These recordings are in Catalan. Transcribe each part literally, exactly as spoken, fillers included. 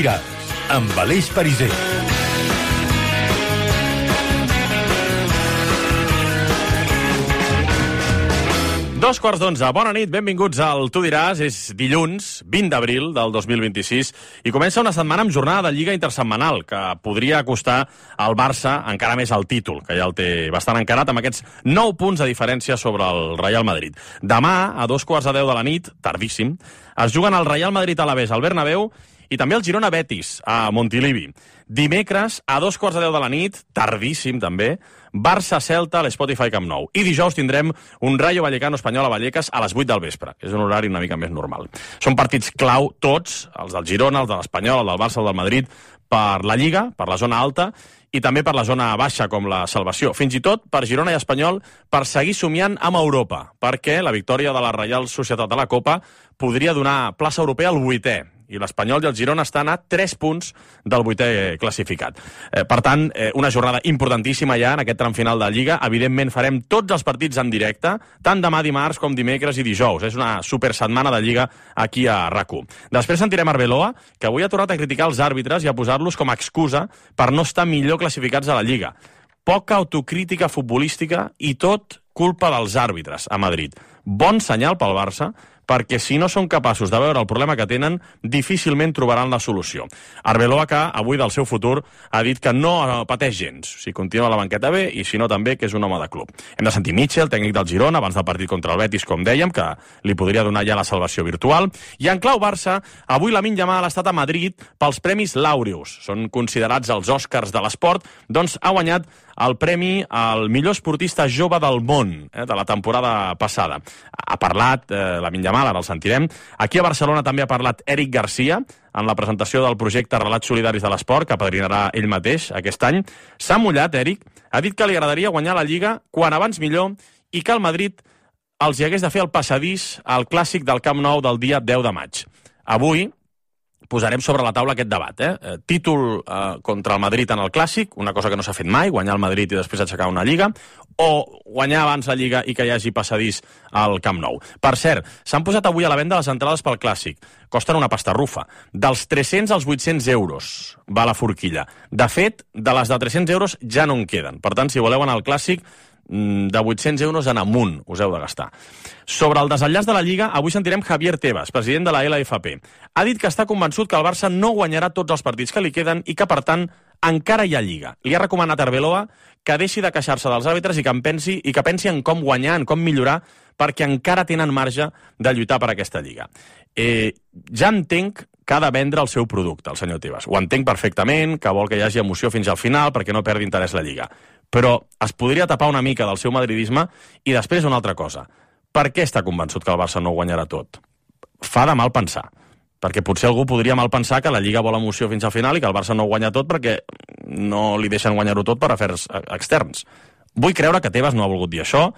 diràs, amb Aleix Pariser. Dos quarts d'onze. Bona nit, benvinguts al Tu diràs. És dilluns, vint d'abril del dos mil vint-i-sis, i comença una setmana amb jornada de Lliga intersetmanal, que podria acostar al Barça encara més al títol, que ja el té bastant encarat, amb aquests nou punts de diferència sobre el Real Madrid. Demà, a dos quarts de deu de la nit, tardíssim, es juguen el Real Madrid-Alavés al Bernabéu i també el Girona-Betis a Montilivi. Dimecres, a dos quarts de deu de la nit, tardíssim també, Barça-Celta a l'Spotify Camp Nou. I dijous tindrem un Rayo Vallecano-Espanyol a Vallecas a les vuit del vespre, que és un horari una mica més normal. Són partits clau tots, els del Girona, els de l'Espanyol, el del Barça, el del Madrid, per la Lliga, per la zona alta, i també per la zona baixa, com la salvació. Fins i tot per Girona i Espanyol, per seguir somiant amb Europa, perquè la victòria de la Reial Societat de la Copa podria donar plaça europea al vuitè, i l'Espanyol i el Girona estan a tres punts del vuitè classificat. Eh, per tant, eh, una jornada importantíssima ja en aquest tram final de la Lliga. Evidentment farem tots els partits en directe, tant demà dimarts com dimecres i dijous. És una supersetmana de Lliga aquí a RAC u. Després sentirem Arbeloa, que avui ha tornat a criticar els àrbitres i a posar-los com a excusa per no estar millor classificats a la Lliga. Poca autocrítica futbolística i tot culpa dels àrbitres a Madrid. Bon senyal pel Barça, perquè si no són capaços de veure el problema que tenen, difícilment trobaran la solució. Arbeloa, que avui del seu futur ha dit que no pateix gens, si continua a la banqueta bé i si no també, que és un home de club. Hem de sentir Mitchell, tècnic del Girona, abans del partit contra el Betis, com dèiem, que li podria donar ja la salvació virtual. I en clau Barça, avui Lamine Yamal ha estat a Madrid pels Premis Laureus. Són considerats els Oscars de l'esport, doncs ha guanyat el premi al millor esportista jove del món, eh, de la temporada passada. Ha parlat eh, Lamine Yamal, ara el sentirem. Aquí a Barcelona també ha parlat Eric Garcia en la presentació del projecte Relats Solidaris de l'Esport, que apadrinarà ell mateix aquest any. S'ha mullat, Eric, ha dit que li agradaria guanyar la Lliga quan abans millor i que el Madrid els hi hagués de fer el passadís al clàssic del Camp Nou del dia deu de maig. Avui posarem sobre la taula aquest debat. Eh? Títol eh, contra el Madrid en el Clàssic, una cosa que no s'ha fet mai, guanyar el Madrid i després aixecar una Lliga, o guanyar abans la Lliga i que hi hagi passadís al Camp Nou. Per cert, s'han posat avui a la venda les entrades pel Clàssic. Costen una pastarrufa. Dels tres-cents als vuit-cents euros va la forquilla. De fet, de les de tres-cents euros ja no en queden. Per tant, si voleu anar al Clàssic, de vuit-cents euros en amunt us heu de gastar. Sobre el desenllaç de la Lliga, avui sentirem Javier Tebas, president de la L F P. Ha dit que està convençut que el Barça no guanyarà tots els partits que li queden i que, per tant, encara hi ha Lliga. Li ha recomanat a Arbeloa que deixi de queixar-se dels àrbitres i que en pensi, i que pensi en com guanyar, en com millorar, perquè encara tenen marge de lluitar per aquesta Lliga. Eh, ja entenc que ha de vendre el seu producte, el senyor Tebas. Ho entenc perfectament, que vol que hi hagi emoció fins al final perquè no perdi interès la Lliga. Però es podria tapar una mica del seu madridisme i després una altra cosa. Per què està convençut que el Barça no ho guanyarà tot? Fa de mal pensar. Perquè potser algú podria mal pensar que la Lliga vol emoció fins al final i que el Barça no ho guanya tot perquè no li deixen guanyar-ho tot per afers externs. Vull creure que Tebas no ha volgut dir això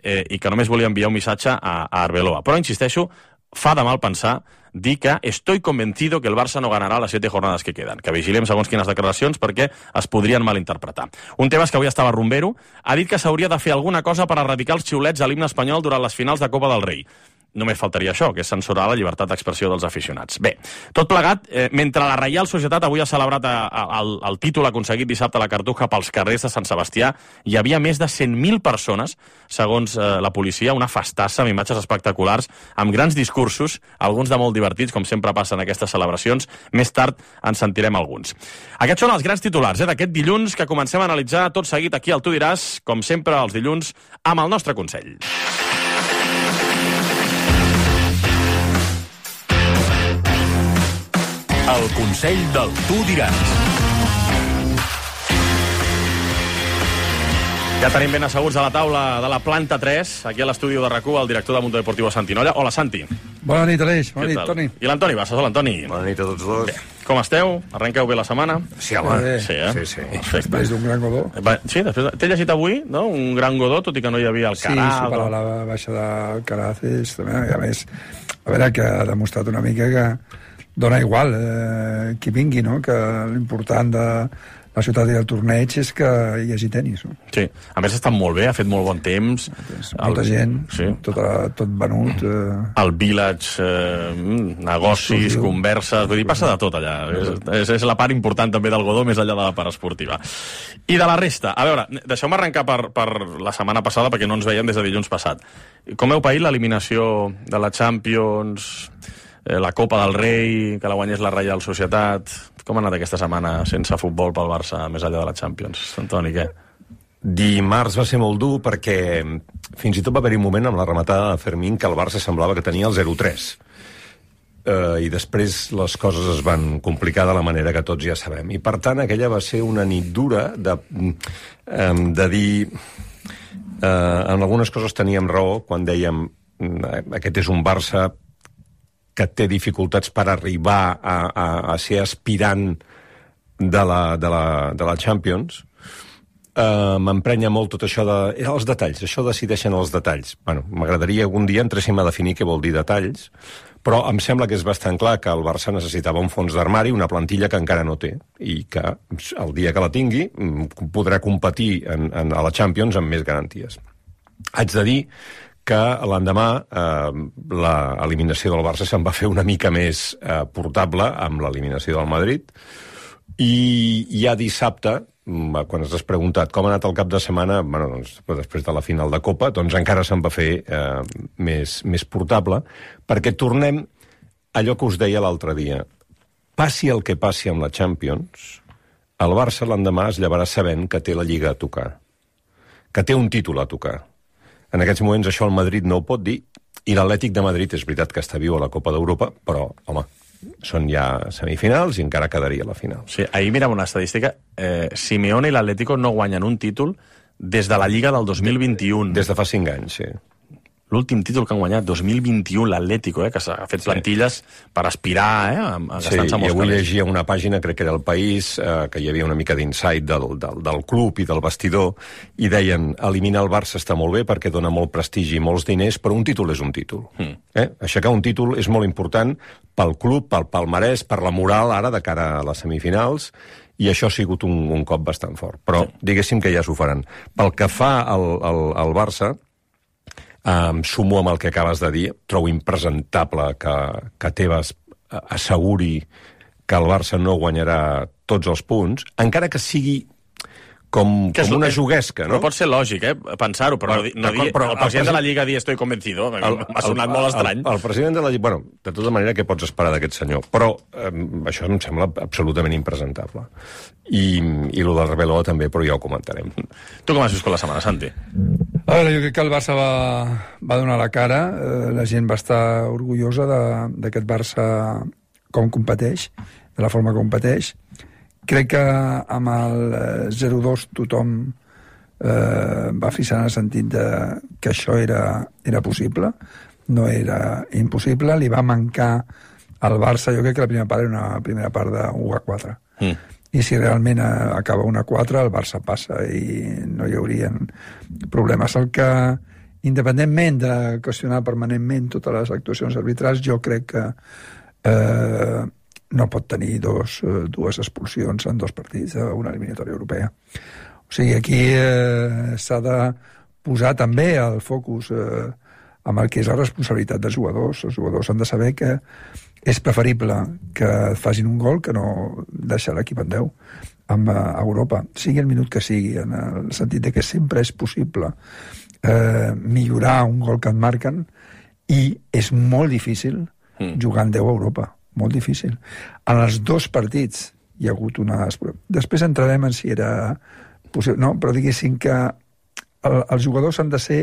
eh, i que només volia enviar un missatge a, a Arbeloa. Però, insisteixo, fa de mal pensar dir que estoy convencido que el Barça no ganarà les siete jornades que queden. Que vigilem segons quines declaracions perquè es podrien malinterpretar. Un Tebas que avui estava rumbero ha dit que s'hauria de fer alguna cosa per erradicar els xiulets a l'himne espanyol durant les finals de Copa del Rei. Només faltaria això, que és censurar la llibertat d'expressió dels aficionats. Bé, tot plegat, eh, mentre la Reial Societat avui ha celebrat a, a, el, el títol aconseguit dissabte a la Cartuja pels carrers de Sant Sebastià, hi havia més de cent mil persones, segons eh, la policia, una festassa amb imatges espectaculars, amb grans discursos, alguns de molt divertits, com sempre passa en aquestes celebracions. Més tard en sentirem alguns. Aquests són els grans titulars eh, d'aquest dilluns, que comencem a analitzar tot seguit aquí al Tu diràs, com sempre els dilluns, amb el nostre consell. El consell del Tu diràs. Ja tenim ben asseguts a la taula de la planta tres, aquí a l'estudi de RAC u, el director de Mundo Deportivo, Santi Nolla. Hola, Santi. Bona nit, Aleix. Bona nit, Toni. I l'Antoni Bassas. Hola, Antoni. Bona nit a tots dos. Bé, com esteu? Arrenqueu bé la setmana? Sí, home. Eh, Sí, eh? Sí, sí. Perfecte. Després d'un gran godó. Va, sí, després... T'he llegit avui, no?, un gran godó, tot i que no hi havia el Sí, Caraz. superar la baixa de Caraces, també, i a més, a veure, que ha demostrat una mica que dona igual eh, qui vingui, no?, que l'important de la ciutat del torneig és que hi hagi tenis. No? Sí, a més està molt bé, ha fet molt bon temps. Molta el... gent, sí. tot, tot venut. Eh... El village, eh, negocis, Exclusiu. Converses, vull dir, passa de tot allà. És, és la part important també del Godó, més enllà de la part esportiva. I de la resta, a veure, deixeu-me arrencar per, per la setmana passada, perquè no ens veiem des de dilluns passat. Com heu paït l'eliminació de la Champions, eh, la Copa del Rei, que la guanyés la Reial Societat... Com ha anat aquesta setmana sense futbol pel Barça, més enllà de la Champions? Antoni, què? Dimarts va ser molt dur perquè fins i tot va haver-hi un moment amb la rematada de Fermín que el Barça semblava que tenia el zero tres. Uh, I després les coses es van complicar de la manera que tots ja sabem. I per tant aquella va ser una nit dura de, um, de dir... Uh, en algunes coses teníem raó quan dèiem uh, aquest és un Barça que té dificultats per arribar a, a, a ser aspirant de la, de la, de la Champions. Uh, m'emprenya molt tot això de... Els detalls, això decideixen els detalls. Bueno, m'agradaria algun dia entréssim a definir què vol dir detalls, però em sembla que és bastant clar que el Barça necessitava un fons d'armari, una plantilla que encara no té, i que el dia que la tingui podrà competir en, en, a la Champions amb més garanties. Haig de dir que l'endemà eh, l'eliminació del Barça se'n va fer una mica més eh, portable amb l'eliminació del Madrid, i ja dissabte, quan has preguntat com ha anat el cap de setmana, bueno, doncs, després de la final de Copa, doncs encara se'n va fer eh, més, més portable, perquè tornem a allò que us deia l'altre dia. Passi el que passi amb la Champions, el Barça l'endemà es llevarà sabent que té la Lliga a tocar, que té un títol a tocar. En aquests moments això el Madrid no ho pot dir, i l'Atlètic de Madrid és veritat que està viu a la Copa d'Europa, però, home, són ja semifinals i encara quedaria la final. Sí, ahir mirava una estadística. Eh, Simeone i l'Atlético no guanyen un títol des de la Lliga del dos mil vint-i-u. Des de fa cinc anys, sí. L'últim títol que han guanyat, dos mil vint-i-u, l'Atlético, eh, que s'ha fet plantilles sí. per aspirar, eh, a, a gastar-se sí, molts i avui calés. llegia una pàgina, crec que era El País, eh, que hi havia una mica d'insight del, del, del club i del vestidor, i deien, eliminar el Barça està molt bé perquè dona molt prestigi i molts diners, però un títol és un títol. Mm. Eh? Aixecar un títol és molt important pel club, pel palmarès, per la moral ara de cara a les semifinals, i això ha sigut un, un cop bastant fort. Però sí. diguéssim que ja s'ho faran. Pel que fa al, al, al Barça, Um, sumo amb el que acabes de dir, trobo impresentable que, que Tebas asseguri que el Barça no guanyarà tots els punts, encara que sigui com, que com una juguesca, no? Però pot ser lògic, eh, pensar-ho, però, no, no dir, però el president el, de la Lliga dir estoy convencido, m'ha sonat el, molt estrany. El, el president de la Lliga, bueno, de tota manera, què pots esperar d'aquest senyor? Però eh, això em sembla absolutament impresentable. I, i lo del Rebeló també, però ja ho comentarem. Tu com has viscut la setmana, Santi? A veure, jo crec que el Barça va, va donar la cara, eh, la gent va estar orgullosa d'aquest Barça com competeix, de la forma que competeix. Crec que amb el zero dos tothom eh, va fixar en el sentit de que això era, era possible, no era impossible, li va mancar al Barça, jo crec que la primera part era una primera part de u a quatre. Mm. I si realment acaba un a quatre, el Barça passa i no hi haurien problemes. El que, independentment de qüestionar permanentment totes les actuacions arbitrals, jo crec que eh, no pot tenir dos, dues expulsions en dos partits d'una eliminatòria europea. O sigui, aquí eh, s'ha de posar també el focus eh, amb el que és la responsabilitat dels jugadors. Els jugadors han de saber que és preferible que facin un gol que no deixar l'equip en deu amb Europa, sigui el minut que sigui, en el sentit de que sempre és possible eh, millorar un gol que et marquen, i és molt difícil mm. jugar en deu a Europa, molt difícil. En els dos partits hi ha hagut una... Després entrarem en si era possible, no, però diguéssim que el, els jugadors han de ser...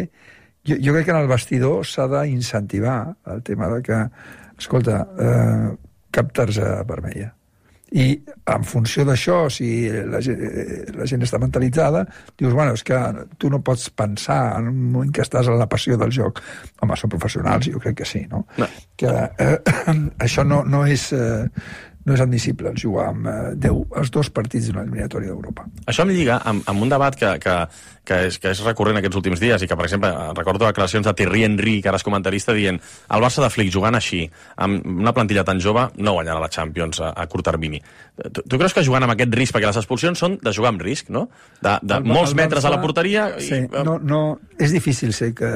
Jo, jo crec que en el vestidor s'ha d'incentivar el tema de que, escolta, eh, cap targeta vermella. I en funció d'això, si la gent, la gent està mentalitzada, dius, bueno, és que tu no pots pensar en un moment que estàs en la passió del joc. Home, són professionals, jo crec que sí, no? no. Que eh, això no, no és... Eh, no és admissible jugar amb eh, deu, els dos partits d'una eliminatòria d'Europa. Això em lliga amb, amb un debat que, que, que, és, que és recurrent aquests últims dies i que, per exemple, recordo declaracions de Thierry Henry, que ara és comentarista, dient el Barça de Flick jugant així, amb una plantilla tan jove, no guanyarà la Champions a, a curt termini. Tu, tu creus que jugant amb aquest risc, perquè les expulsions són de jugar amb risc, no? De, de el, molts el metres Barça, a la porteria... I... Sí, no, no, és difícil ser que,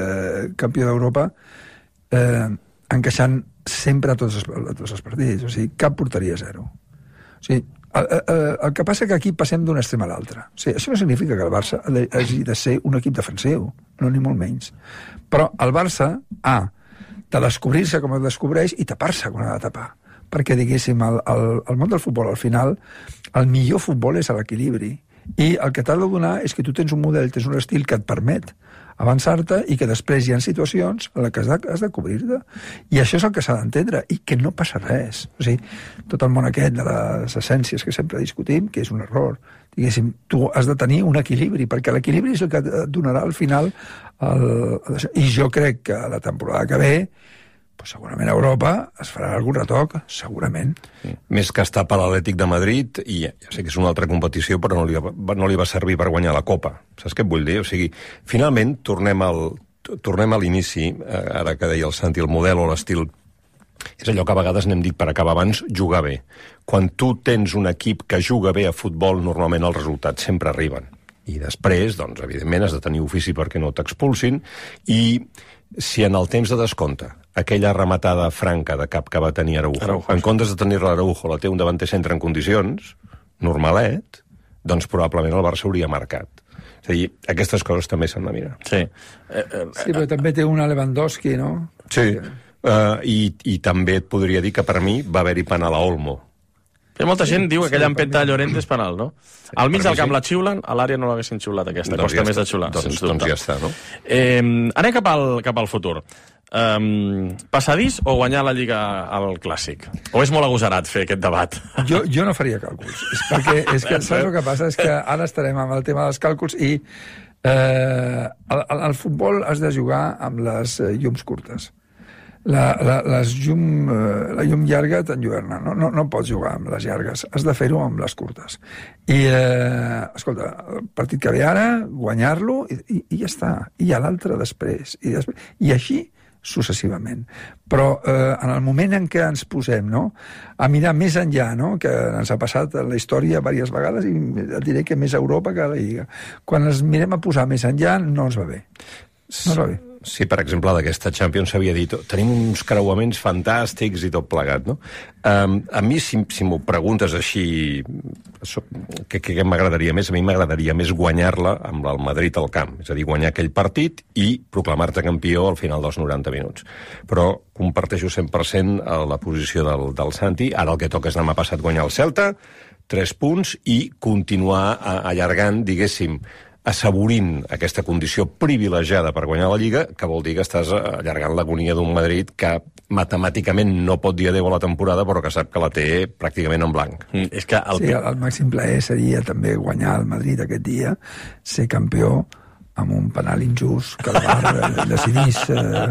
campió d'Europa eh, encaixant sempre a tots, els, a tots els partits. O sigui, cap porteria zero. O sigui, el, el, el que passa que aquí passem d'un extrem a l'altre. O sigui, això no significa que el Barça hagi de ser un equip defensiu, no ni molt menys. Però el Barça ha de descobrir-se com es descobreix i tapar-se quan ha de tapar. Perquè, diguéssim, el, el, el món del futbol, al final, el millor futbol és l'equilibri. I el que t'ha de donar és que tu tens un model, tens un estil que et permet avançar-te i que després hi ha situacions en les que has de, has de cobrir-te. I això és el que s'ha d'entendre, i que no passa res. O sigui, tot el món aquest de les essències que sempre discutim, que és un error. Diguéssim, tu has de tenir un equilibri, perquè l'equilibri és el que et donarà al final el, el, i jo crec que la temporada que ve pues segurament a Europa es farà algun retoc, segurament. Sí. Més que estar per l'Atlètic de Madrid, i ja sé que és una altra competició, però no li, va, no li va servir per guanyar la Copa. Saps què et vull dir? O sigui, finalment, tornem al, tornem a l'inici, eh, ara que deia el Santi, el model o l'estil, és allò que a vegades n'hem dit per acabar abans, jugar bé. Quan tu tens un equip que juga bé a futbol, normalment els resultats sempre arriben. I després, doncs, evidentment, has de tenir ofici perquè no t'expulsin, i si en el temps de descompte aquella rematada franca de cap que va tenir Araujo, Araujo. en comptes de tenir-la Araujo, la té un davanter centre en condicions, normalet, doncs probablement el Barça hauria marcat. És a dir, aquestes coses també s'han de mirar. Sí. Eh, eh, sí, però també té una Lewandowski, no? Sí, uh, i, i també et podria dir que per mi va haver-hi penal a Olmo. Hi ha molta gent sí, diu que aquella sí, empenta a Llorente és penal, no? Sí, al mig del camp sí. La xiulen, a l'àrea no l'haguessin xiulat aquesta, doncs costa ja més de xiular. Doncs, doncs ja està, no? Eh, anem cap al, cap al futur. Um, passadís o guanyar la Lliga al Clàssic? O és molt agosarat fer aquest debat? Jo, jo no faria càlculs. És perquè és que, saps el que passa? És que ara estarem amb el tema dels càlculs i eh, al, al futbol has de jugar amb les llums curtes. La, la, les llum, la llum llarga t'enlluerna, no, no, no pots jugar amb les llargues, has de fer-ho amb les curtes. I, eh, escolta, el partit que ve ara, guanyar-lo, i, i, i ja està. I a l'altre després. I, després. I així successivament. Però eh, en el moment en què ens posem, no?, a mirar més enllà, no?, que ens ha passat en la història diverses vegades, i et diré que més a Europa que a la Lliga. Quan ens mirem a posar més enllà, no ens va bé. No ens va bé. Sí, per exemple, d'aquesta Champions s'havia dit tenim uns creuaments fantàstics i tot plegat, no? Um, a mi, si, si m'ho preguntes així, què, què m'agradaria més? A mi m'agradaria més guanyar-la amb el Madrid al camp, és a dir, guanyar aquell partit i proclamar-te campió al final dels noranta minuts. Però comparteixo cent per cent la posició del, del Santi. Ara el que toca és demà passat guanyar el Celta, tres punts, i continuar allargant, diguéssim, assaborint aquesta condició privilegiada per guanyar la Lliga, que vol dir que estàs allargant l'agonia d'un Madrid que matemàticament no pot dir adéu a la temporada, però que sap que la té pràcticament en blanc. Mm, és que el... Sí, el màxim plaer seria també guanyar el Madrid aquest dia, ser campió amb un penal injust que el V A R decidís eh,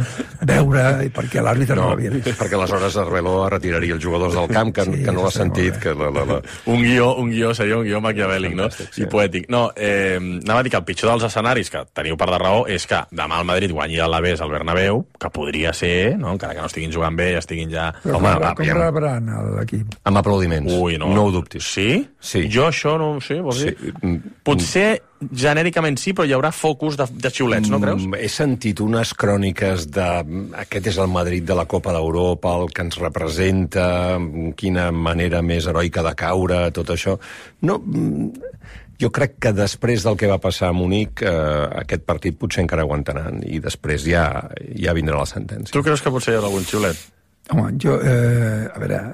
veure, i perquè l'àrbitre no, no l'havia vist. Perquè aleshores Arbeloa retiraria els jugadors del camp, que, sí, que no l'ha sentit. Que la, la, la... Un, guió, un guió seria un guió maquiavèlic, no? Sí. I poètic. No, eh, anava a dir que el pitjor dels escenaris, que teniu part de raó, és que demà el Madrid guanyi l'Alavés al Bernabéu, que podria ser, no? Encara que no estiguin jugant bé, estiguin ja... Però Home, com, va, com rebran l'equip? Amb aplaudiments. Ui, no. No ho dubtis. Sí? Sí. Jo això no ho sé, vols dir? Sí. Potser genèricament sí, però hi haurà focus de, de xiulets, no creus? Mm, he sentit unes cròniques de aquest és el Madrid de la Copa d'Europa, el que ens representa, quina manera més heroica de caure, tot això. No, jo crec que després del que va passar a Munic, eh, aquest partit potser encara aguantaran, i després ja, ja vindrà la sentència. Tu creus que potser hi ha algun xiulet? Home, jo, eh, a veure,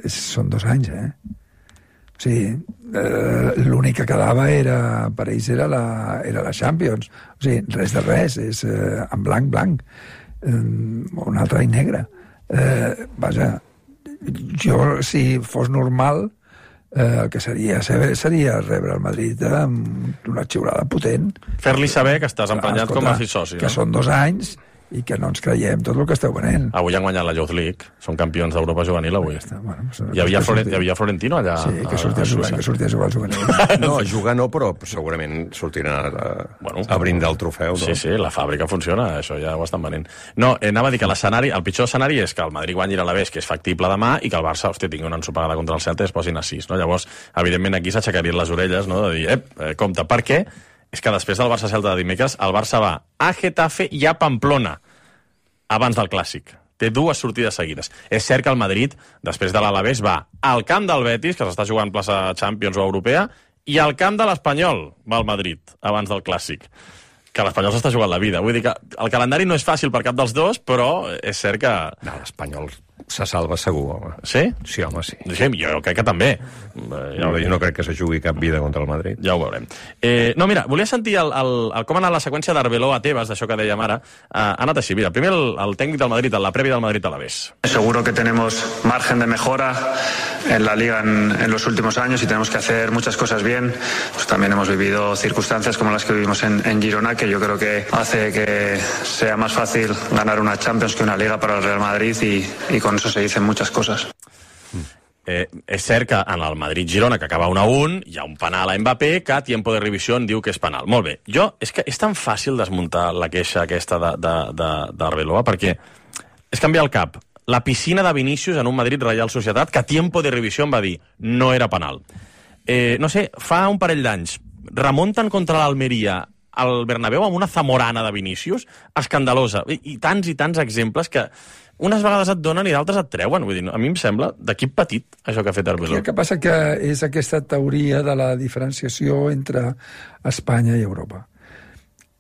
són dos anys, eh? O sigui, eh, l'únic que quedava era, per ells era la, era la Champions. O sigui, res de res, és eh, en blanc, blanc, eh, un altre any negre. Eh, vaja, jo, si fos normal, eh, el que seria seria rebre el Madrid amb una xiulada potent. Fer-li saber que estàs emprenyat com a soci. Que no? Són dos anys i que no ens creiem tot el que esteu venent. Avui han guanyat la Youth League, són campions d'Europa juvenil avui. Ja bueno, hi, havia Florent, hi havia Florentino allà. Sí, que sortia a jugar, que sortia a jugar al juvenil. No, a jugar no, però segurament sortirà a, bueno, a brindar el trofeu. No? Sí, sí, la fàbrica funciona, això ja ho estan venent. No, eh, anava a dir que l'escenari, el pitjor escenari és que el Madrid guanyi l'Alavés, que és factible demà, i que el Barça, hòstia, tingui una ensopegada contra el Celta i es posin a sis, no? Llavors, evidentment, aquí s'aixecarien les orelles, no?, de dir, ep, eh, compte, per què? És que després del Barça-Celta de dimecres, el Barça va a Getafe i a Pamplona abans del Clàssic. Té dues sortides seguides. És cert que el Madrid, després de l'Alavés, va al camp del Betis, que s'està jugant plaça Champions o Europea, i al camp de l'Espanyol va al Madrid, abans del Clàssic. Que l'Espanyol s'està jugant la vida. Vull dir que el calendari no és fàcil per cap dels dos, però és cert que... No, l'Espanyol se salva segur, home. Sí? Sí, home, sí. Sí, jo crec que també. Ja jo no crec que se jugui cap vida contra el Madrid. Ja ho veurem. Eh, no, mira, volia sentir el, el, el, com ha anat la seqüència d'Arbeloa a Tebas, d'això que dèiem ara. Eh, ha anat així, mira, primer el, el tècnic del Madrid, la prèvia del Madrid a l'Alavés. Seguro que tenemos margen de mejora en la Liga en, en los últimos años y tenemos que hacer muchas cosas bien. Pues también hemos vivido circunstancias como las que vivimos en, en Girona, que yo creo que hace que sea más fácil ganar una Champions que una Liga para el Real Madrid y, y con eso se dicen muchas cosas. Eh, és cert que en el Madrid-Girona, que acaba un a un, hi ha un penal a Mbappé que a tiempo de revisió diu que és penal. Molt bé. Jo, és que és tan fàcil desmuntar la queixa aquesta d'Arbeloa, perquè és canviar el cap. La piscina de Vinícius en un Madrid-Real Societat, que a tiempo de revisió em va dir no era penal. Eh, no sé, fa un parell d'anys, remunten contra l'Almeria al Bernabéu amb una zamorana de Vinícius escandalosa. I, i tants i tants exemples que unes vegades et donen i d'altres et treuen. Vull dir, a mi em sembla d'equip petit, això que ha fet Arbeloa. El que passa que és aquesta teoria de la diferenciació entre Espanya i Europa.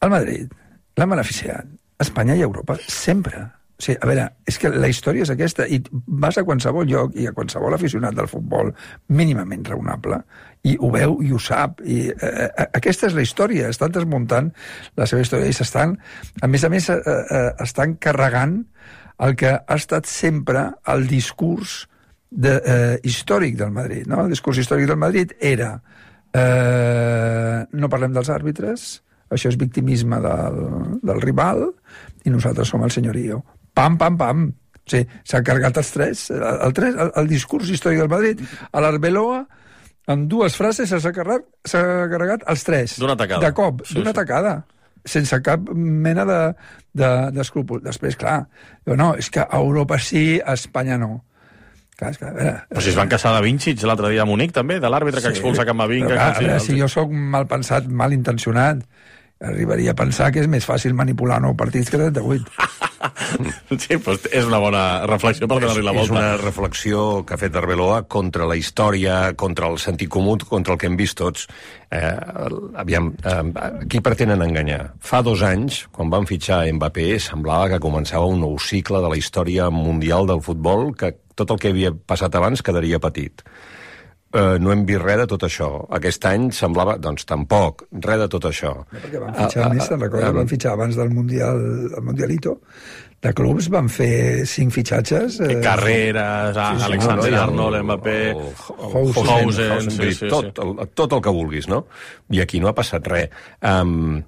El Madrid l'ha beneficiat Espanya i Europa sempre. O sigui, a veure, és que la història és aquesta, i vas a qualsevol lloc i a qualsevol aficionat del futbol mínimament raonable, i ho veu i ho sap, i eh, aquesta és la història, estan desmuntant la seva història i s'estan, a més a més, eh, eh, estan carregant el que ha estat sempre el discurs de, eh, històric del Madrid, no? El discurs històric del Madrid era eh, no parlem dels àrbitres, això és victimisme del, del rival, i nosaltres som el senyorio. Pam, pam, pam. O sigui, s'ha carregat els tres, el, el, tres el, el discurs històric del Madrid, a l'Arbeloa, en dues frases s'ha carregat, s'ha carregat els tres. D'una tacada. De cop, sí, d'una sí. tacada. Sense cap mena d'escrúpol. De, de Després, clar, diu, no, és que a Europa sí, a Espanya no. Clar, és que, a veure, Però si es van queixar de Vincic l'altre dia a Munic, també, de l'àrbitre que expulsa Camavinga. Però, clar, a veure, si jo sóc mal pensat, mal intencionat, arribaria a pensar que és més fàcil manipular nou partits que trenta-vuit. Sí, doncs és una bona reflexió per donar-li la volta. És una reflexió que ha fet Arbeloa contra la història, contra el sentit comú, contra el que hem vist tots. Eh, aviam, eh, qui pretenen enganyar? Fa dos anys, quan van fitxar Mbappé, semblava que començava un nou cicle de la història mundial del futbol, que tot el que havia passat abans quedaria petit. Uh, no hem vist res de tot això. Aquest any semblava, doncs tampoc, res de tot això. No, perquè van fitxar uh, més, te'n recordes? Uh, van fitxar abans del Mundial, el Mundialito. De clubs van fer cinc fitxatges. Eh, Carreras, sí, sí, Alexander no, Arnold, Mbappé, Housen, Housen, sí, sí, sí. Tot, el, tot el que vulguis, no? I aquí no ha passat res. Um,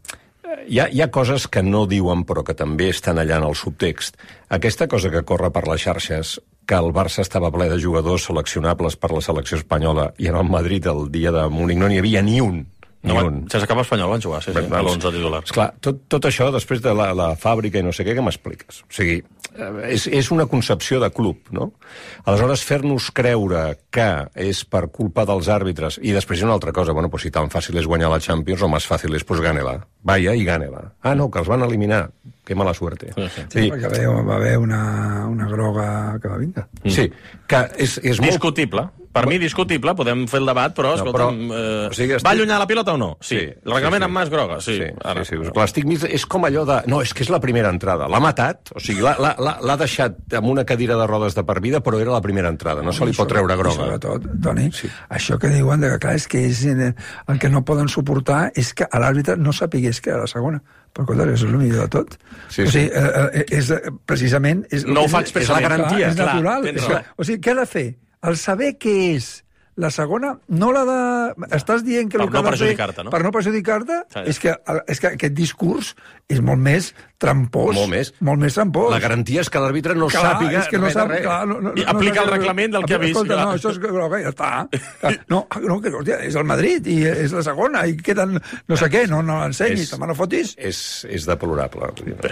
hi, ha, hi ha coses que no diuen però que també estan allà en el subtext. Aquesta cosa que corre per les xarxes, que el Barça estava ple de jugadors seleccionables per la selecció espanyola i en el Madrid el dia de Múnich no n'hi havia ni un. Ni no, un. Sense cap espanyol van jugar, sí, sí, a l'onze titular. Esclar, tot, tot això, després de la, la fàbrica i no sé què, què m'expliques? O sigui, és, és una concepció de club, no? Aleshores, fer-nos creure que és per culpa dels àrbitres, i després hi ha una altra cosa, bueno, pues si tan fàcil és guanyar la Champions, o més fàcil és, pues gane-la. Vaya i gane-la. Ah, no, que els van eliminar. Que mala suerte. Sí, sí. Sí, perquè va haver, va haver una, una groga que va vinga. Mm. Sí, que és, és molt... Discutible. Per mi, discutible, podem fer el debat, però, no, escolta'm, però, eh, o sigui, estic... va allunyar la pilota o no? Sí. sí el reglament sí, sí. amb mà és groga, sí. sí, ara. sí, sí. L'estic mig és com allò de... No, és que és la primera entrada. L'ha matat, o sigui, l'ha deixat amb una cadira de rodes de per vida, però era la primera entrada, no, no se li pot treure groga. Sobretot, Toni, sí. això que diuen, de que, clar, és que és, el que no poden suportar és que l'àrbitre no sapigués que era la segona. Però, escolta, és el millor de tot. Sí, o sigui, sí. eh, és, precisament... És, no ho fa és, expressament. És la garantia. Clar, és natural. Clar, és que, o sigui, què ha de fer? El saber què és la segona no l'ha de... Estàs dient que Per el que no ha de fer... perjudicar-te, no? Per no perjudicar-te, Sí. és, que, és que aquest discurs és molt més trampós. Molt més. Molt més trampós. La garantia és que l'àrbitre no Clar, sàpiga és que no res de sap, res. clar, no, no, I no aplica sap- el reglament del que ha vist, Escolta, clar. no, això és groga, ja està. No, no que, hòstia, és el Madrid i és la segona i queden no sé què, no, no l'ensenyis, És- també no fotis. És, és deplorable. Bé.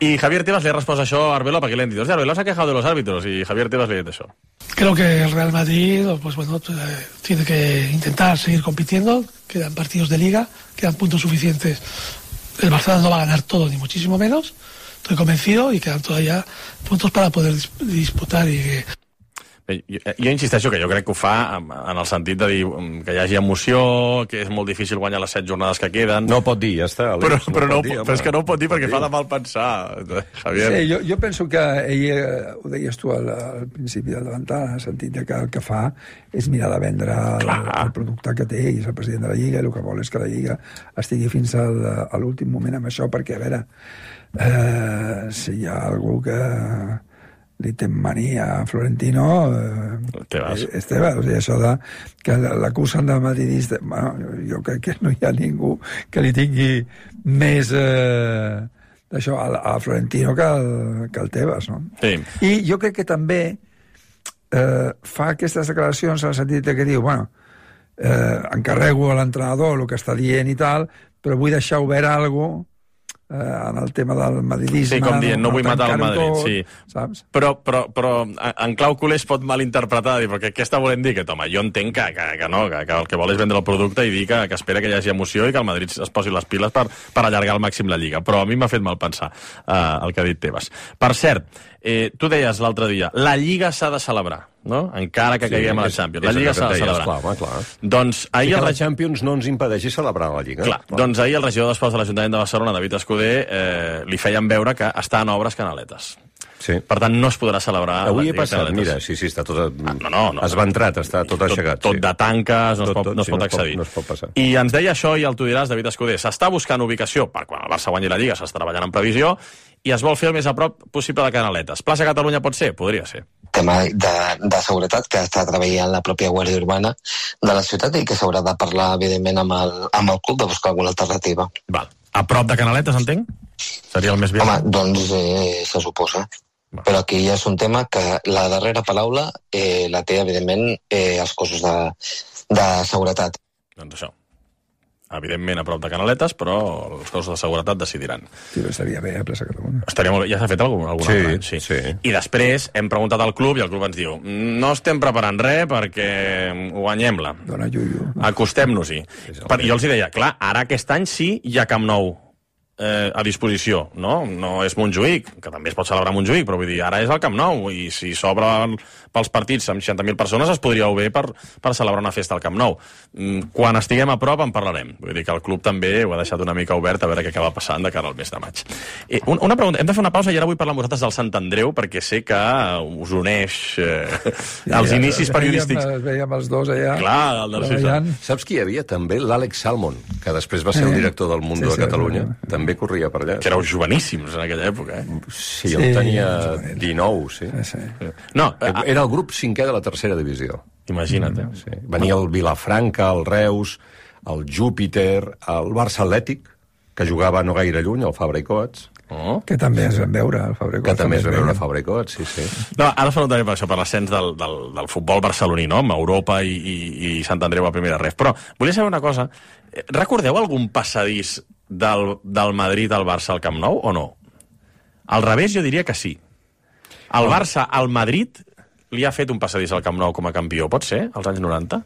I Javier Tebas le ha respost això a Arbeloa, perquè le han dit, hòstia, Arbeloa s'ha quejado de los árbitros, i Javier Tebas le ha dit això. Creo que el Real Madrid, pues bueno, eh, tiene que intentar seguir compitiendo. Quedan partidos de liga, quedan puntos suficientes. El Barcelona no va a ganar todo, ni muchísimo menos. Estoy convencido y quedan todavía puntos para poder dis- disputar y que... Bé, jo, jo insisteixo que jo crec que ho fa en, en el sentit de dir mm, que hi hagi emoció, que és molt difícil guanyar les set jornades que queden. No ho pot dir, ja està. però, Àlex, però, no, pot dir, però és que no ho pot dir perquè dir. fa de mal pensar, Javier. Sí, jo, jo penso que ell, eh, ho deies tu al, al principi del davantal, en el sentit de que el que fa és mirar de vendre el, el producte que té, i és el president de la Lliga, i el que vol és que la Lliga estigui fins al, a l'últim moment amb això, perquè, a veure, eh, si hi ha algú que li té mania a Florentino, eh, Tebas. és Tebas. O sigui, això de que l'acusen de madridista, bueno, jo crec que no hi ha ningú que li tingui més eh, d'això a, a Florentino que el, que el Tebas, no? Sí. I jo crec que també eh, fa aquestes declaracions en el sentit de que diu, bueno, eh, encarrego a l'entrenador el que està dient i tal, però vull deixar obert alguna eh, en el tema del madridisme. Sí, com dient, no vull matar el tancar-ho Madrid, tot, sí. Saps? Però, però, però en clau culer es pot malinterpretar, dir, perquè què està volent dir? Que, home, jo entenc que, que, que no, que, que el que vol és vendre el producte i dir que, que espera que hi hagi emoció i que el Madrid es posi les piles per, per allargar al màxim la Lliga. Però a mi m'ha fet mal pensar eh, el que ha dit Tebas. Per cert, eh, tu deies l'altre dia, la Lliga s'ha de celebrar, no? Encara que Sí, caiguem a la és- Champions. és La Lliga el que s'ha de et deies, celebrar. clar, home, clar. Doncs I ahir que el la Champions no ens impedeixi celebrar la Lliga. Clar, doncs ahir el regidor d'Esports de l'Ajuntament de Barcelona, David Escudé, eh, li feien veure que està en obres canaletes. Sí. Per tant, no es podrà celebrar... Avui la he Lliga passat, Canaletes. mira, sí, sí, està tot... Ah, no, no, no. Esventrat, està tot, tot aixecat. Tot sí. de tanques, no es Tot, pot, tot, no es sí, pot no es pot- accedir. no es pot passar. I ens deia això, i el tu diràs, David Escudé, s'està buscant ubicació per quan el Barça guanyi la Lliga, s'està treballant en previsió, i es vol fer el més a prop possible de Canaletes. Plaça Catalunya pot ser? Podria ser. Tema de, de seguretat que està treballant la pròpia Guàrdia Urbana de la ciutat i que s'haurà de parlar, evidentment, amb el, amb el club de buscar alguna alternativa. Val. A prop de Canaletes, entenc? Seria el més bé. Home, doncs eh, se suposa. Però aquí ja és un tema que la darrera paraula eh, la té, evidentment, eh, els cossos de, de seguretat. Doncs això. Evidentment a prop de Canaletes, però els cossos de seguretat decidiran. Sí, però estaria bé a Plaça Catalunya. Estaria molt bé. Ja s'ha fet algun, algun Sí, altre any, sí. sí. I després hem preguntat al club i el club ens diu no estem preparant res perquè guanyem-la. Dona Yuyu. Acostem-nos-hi. Per- Jo els hi deia, clar, ara aquest any sí hi ha Camp Nou eh, a disposició, no? No és Montjuïc, que també es pot celebrar a Montjuïc, però vull dir, ara és el Camp Nou, i si s'obre pels partits amb seixanta mil persones es podria bé per, per celebrar una festa al Camp Nou. Mm, Quan estiguem a prop en parlarem. Vull dir que el club també ho ha deixat una mica obert a veure què acaba passant de cara al mes de maig. Eh, un- una pregunta, hem de fer una pausa i ara vull parlar amb vosaltres del Sant Andreu, perquè sé que us uneix eh, els inicis periodístics. Veiem, veiem els dos allà. Clar, el Narcís. treballant. Saps qui hi havia? També l'Àlex Salmon, que després va ser el Eh? director del Mundo Sí, de sí, Catalunya. sí. També corria per allà. Que éreu joveníssims en aquella època, eh? Sí, Sí, jo tenia jovenil. dinou, sí. Sí, sí. No, eh, Era el grup cinquè de la tercera divisió. imagina't, eh? Sí. Venia el Vilafranca, el Reus, el Júpiter, el Barça Atlètic, que jugava no gaire lluny, el Fabra i Coats, Oh. Que també es van veure, el Fabregat. que també es va veure veia. a Fabra i Coats, sí, sí. No, ara us preguntaré per això, per l'ascens del, del, del futbol barceloní, no? Amb Europa i, i, i Sant Andreu a primera ref. Però volia saber una cosa. Eh, Recordeu algun passadís del, del Madrid al Barça al Camp Nou o no? Al revés, jo diria que sí. El Barça al Madrid li ha fet un passadís al Camp Nou com a campió, pot ser, als anys noranta?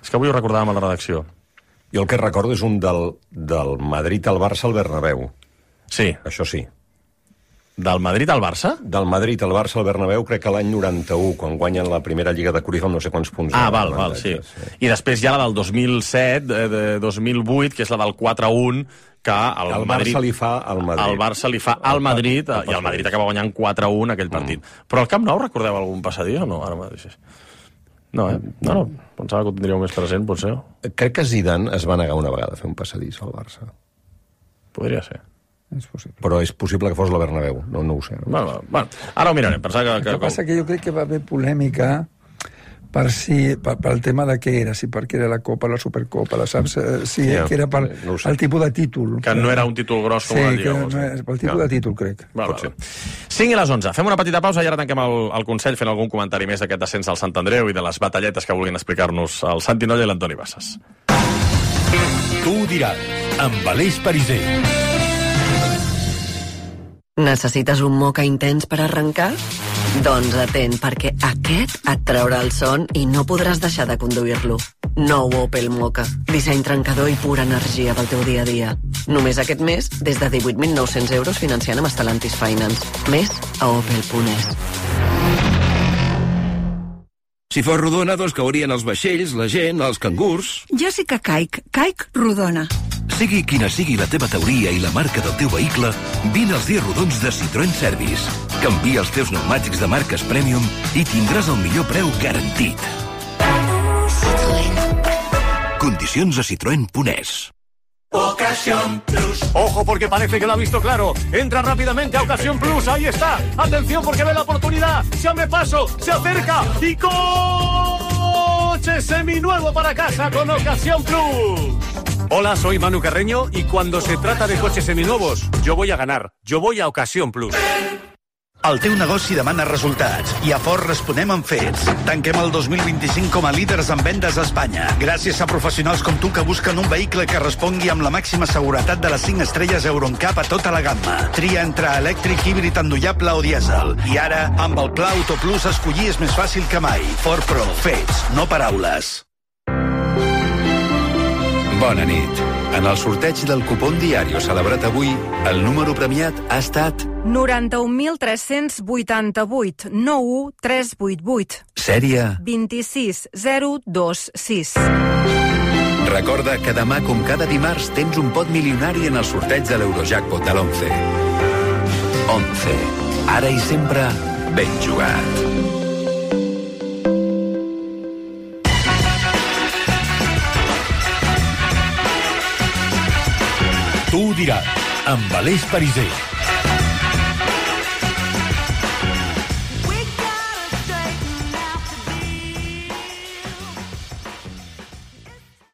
És que avui ho recordàvem a la redacció. Jo el que recordo és un del, del Madrid al Barça al Bernabéu. Sí, Això sí. del Madrid al Barça? Del Madrid al Barça al Bernabéu, crec que l'any noranta-u, quan guanyen la primera Lliga de Cruyff, no sé quants punts. Ah, de val, val, sí. avantatge, I després hi ha la del dos mil set, eh, de dos mil vuit, que és la del quatre a un, que el, El Madrid... Barça li fa al Madrid. El Barça li fa al Madrid, El- el i el Madrid passadís. acaba guanyant quatre a un aquell partit. Mm. Però al Camp Nou recordeu algun passadís o no? Ara mateix. No, eh? No, no. Pensava que ho tindríeu més present, potser. Crec que Zidane es va negar una vegada a fer un passadís al Barça. Podria ser. És possible. Però és possible que fos la Bernabéu, no, no ho sé. No? Bueno, bueno, ara ho mirarem. Pensava que... El que passa que jo crec que va haver polèmica per si, per, pel tema de què era, si perquè era la Copa, la Supercopa, la saps? Si Ja, que era per no ho sé. el tipus de títol. Que no era un títol gros com sí, la Lliga. Lliga. Sí, no, pel tipus Ja. de títol, crec. Val, val. cinc i les onze. Fem una petita pausa i ara tanquem el, el Consell fent algun comentari més d'aquest descens al Sant Andreu i de les batalletes que vulguin explicar-nos el Santi Nolla i l'Antoni Bassas. Tu diràs, amb Aleix Pariser. Necessites un moca intens per arrencar? Doncs atent, perquè aquest et traurà el son i no podràs deixar de conduir-lo. Nou Opel Moka. Disseny trencador i pura energia pel teu dia a dia. Només aquest mes, des de divuit mil nou-cents euros financiant amb Stellantis Finance. Més a opel punt es. Si fos rodona, doncs caurien els vaixells, la gent, els cangurs... Jo sí que caic. Caic rodona. Sigui quina sigui la teva teoria i la marca del teu vehicle, vine als dies rodons de Citroën Service. Canvia els teus pneumàtics de marques Premium i tindràs el millor preu garantit. Condicions a citroen punt es. Ocasión Plus. Ojo porque parece que lo ha visto claro. Entra rápidamente a Ocasión Plus. Ahí está. Atención porque ve la oportunidad. Se abre paso. Se acerca. Y coche seminuevo para casa con Ocasión Plus. Hola, soy Manu Carreño y cuando se trata de coches seminuevos, yo voy a ganar. Yo voy a Ocasión Plus. El teu negoci demana resultats i a Ford responem amb fets. Tanquem el dos mil vint-i-cinc com a líders en vendes a Espanya, gràcies a professionals com tu que busquen un vehicle que respongui amb la màxima seguretat de les cinc estrelles Euro N C A P a tota la gamma. Tria entre elèctric, híbrid endollable o dièsel. I ara, amb el Pla Auto Plus, escollir és més fàcil que mai. Ford Pro. Fets, no paraules. Bona nit. En el sorteig del cupón diario celebrat avui, el número premiat ha estat noranta-un mil tres-cents vuitanta-vuit, nou u tres vuit vuit. Sèrie. vint-i-sis zero dos sis. Recorda que demà, com cada dimarts, tens un pot milionari en el sorteig de l'Eurojackpot de l'once. onze. Ara i sempre, ben jugat. Tu diràs, amb Aleix Pariser.